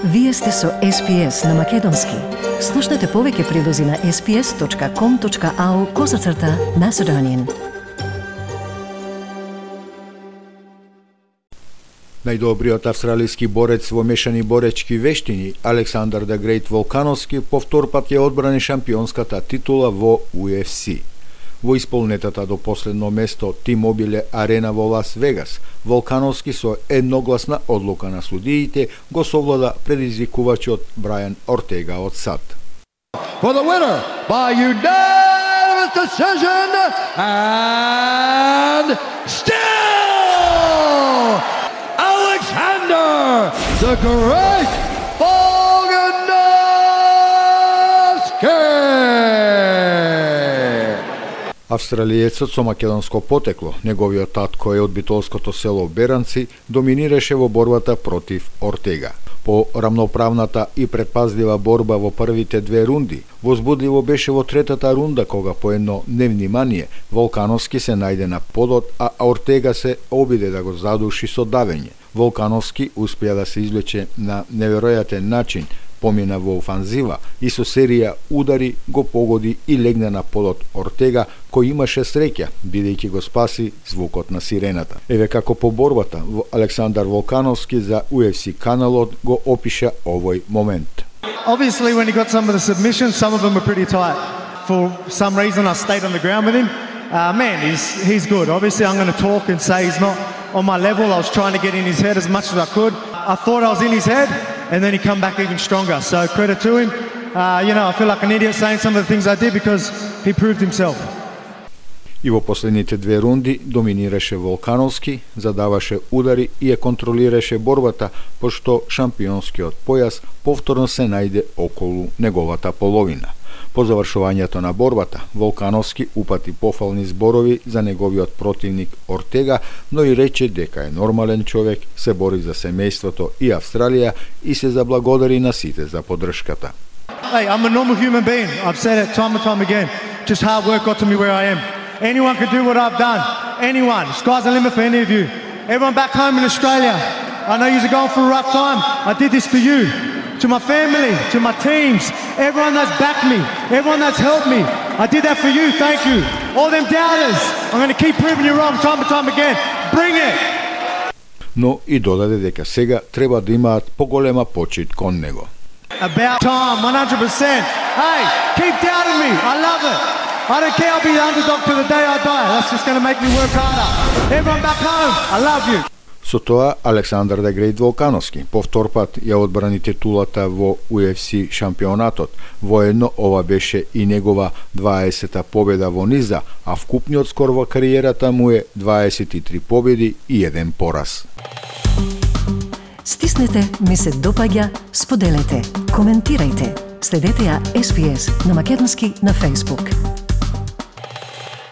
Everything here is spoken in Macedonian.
Вие сте со SPS на Македонски. Слушнете повеќе прилози на sps.com.au/Macedonian. Најдобриот австралиски борец во мешани боречки вештини, Александар да Грејт Волкановски, повторпат ја одбрани шампионската титула во UFC. Во исполнетата до последно место T-Mobile Арена во Лас Вегас, Волкановски со едногласна одлука на судиите го совлада предизвикувачот Брайан Ортега од САД. For the winner by unanimous decision and still Alexander the Great Volkanovski. Австралиецот со македонско потекло, неговиот татко е од битолското село Беранци, доминираше во борбата против Ортега. По рамноправната и предпазлива борба во првите две рунди, возбудливо беше во третата рунда кога по едно невнимание Волкановски се најде на подот, а Ортега се обиде да го задуши со давење. Волкановски успеа да се извлече на неверојатен начин, помина во офанзива и со серија удари го погоди и легна на подот Ортега, кој имаше среќа, бидејќи го спаси звукот на сирената. Еве како по борбата Александар Волкановски за UFC каналот го опиша овој момент. Obviously, when he got some of the submissions, some of them were pretty tight. For some reason, I stayed on the ground with him. He's good. Obviously, I'm going to talk and say he's not on my level. I was trying to get in his head as much as I could. I thought I was in his head, and then he come back even stronger. So credit to him. I feel like an idiot saying some of the things I did because he proved himself. И во последните две рунди доминираше Волкановски, задаваше удари и ја контролираше борбата, пошто шампионскиот појас повторно се најде околу неговата половина. По завршувањето на борбата, Волкановски упати пофални зборови за неговиот противник Ортега, но и рече дека е нормален човек, се бори за семејството и Австралија и се заблагодари на сите за поддршката. Hey, I'm a normal human being. I've said it time and time again. Just hard work got to me where I am. Anyone can do what I've done. Anyone. Sky's the limit for any of you. Everyone back home in Australia, I know you're going through a rough time. I did this for you. To my family, to my teams, everyone that's backed me, everyone that's helped me. I did that for you, thank you. All them doubters, I'm going to keep proving you wrong time and time again. Bring it! Но и додаде дека сега треба да имаат поголема почит кон него. About time, 100%. Hey, keep doubting me, I love it. I don't care, I'll be the underdog to the day I die. That's just going to make me work harder. Everyone back home, I love you. Со тоа, Александар да Грејт Волкановски повторпат ја одбрани титулата во UFC шампионатот. Воедно ова беше и негова 20-та победа во низа, а вкупниот скор во кариерата му е 23 победи и 1 пораз. Стиснете, ми се допаѓа, споделете, коментирајте. Следете ја SPS на Македонски на Facebook.